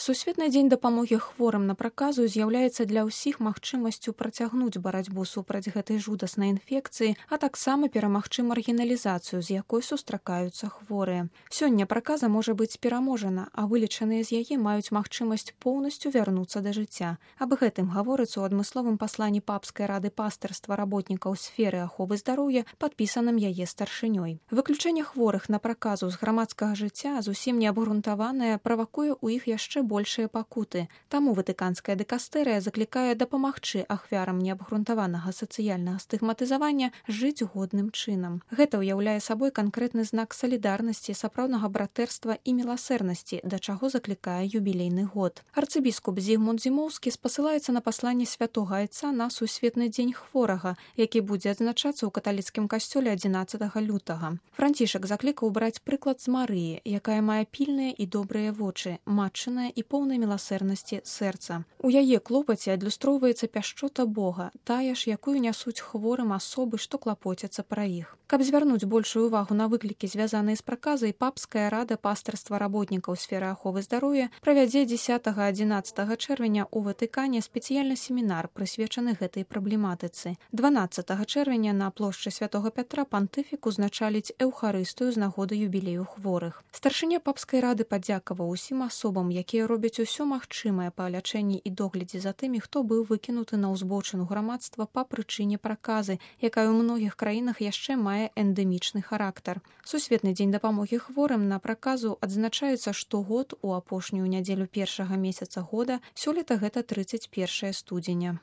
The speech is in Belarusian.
Сусветны дзень дапамогі хворым на праказу з'яўляецца для ўсіх магчымасцю працягнуць барацьбу супраць гэтай жудаснай інфекцыі, а таксама перамагчы маргіналізацыю, з якой сустракаюцца хворыя. Сёння праказа можа быць пераможана, а вылечаныя з яе маюць магчымасць поўнасцю вярнуцца да жыцця. Аб гэтым гаворыцца ў адмысловым пасланні Папскай рады пастырства работнікаў сферы аховы здароўя, падпісаным яе старшынёй. Выключэнне хворых на праказу з грамадскага жыцця зусім неабгрунтаванае правакуе ў іх яшчэ большыя пакуты. Таму ватыканская дыкастэрыя заклікае дапамагчы ахвярам неабгрунтаванага сацыяльнага стыгматызавання жыць годным чынам. Гэта ўяўляе сабой канкрэтны знак салідарнасці, сапраўднага братэрства і міласэрнасці, да чаго заклікае юбілейны год. Арцыбіскуп Зігмунд Зімоўскі спасылаецца на пасланне святога айца на сусветны дзень хворага, які будзе адзначацца ў каталіцкім касцёле 11 лютага. Францішак заклікаў браць прыклад з Марыі, якая мае пільныя і добрыя вочы, матчынае і поўнай міласэрнасці сэрца. У яе клопаце адлюстроўваецца пяшчота Бога, тая ж, якую нясуць хворым асобы, што клапоцяцца пра іх. Каб звярнуць большую ўвагу на выклікі, звязаныя з праказай, Папская рада пастырства работнікаў сферы аховы здароўя правядзе 10-11 чэрвеня ў Ватыкане спецыяльны семінар, прысвечаны гэтай праблематыцы. 12 чэрвеня на плошчы Святога Пятра пантыфік узначаліць эўхарыстыю з нагоды юбілею хворых. Старшыня Папскай рады падзякаваў усім асобам, якія робяць усё магчымае па лячэнні і доглядзе за тымі, хто быў выкінуты на ўзбочыну грамадства па прычыне праказы, якая ў многіх краінах яшчэ мае эндэмічны характар. Сусветны дзень дапамогі хворым на праказу адзначаецца штогод у апошнюю нядзелю першага месяца года, сёлета гэта 31 студзеня.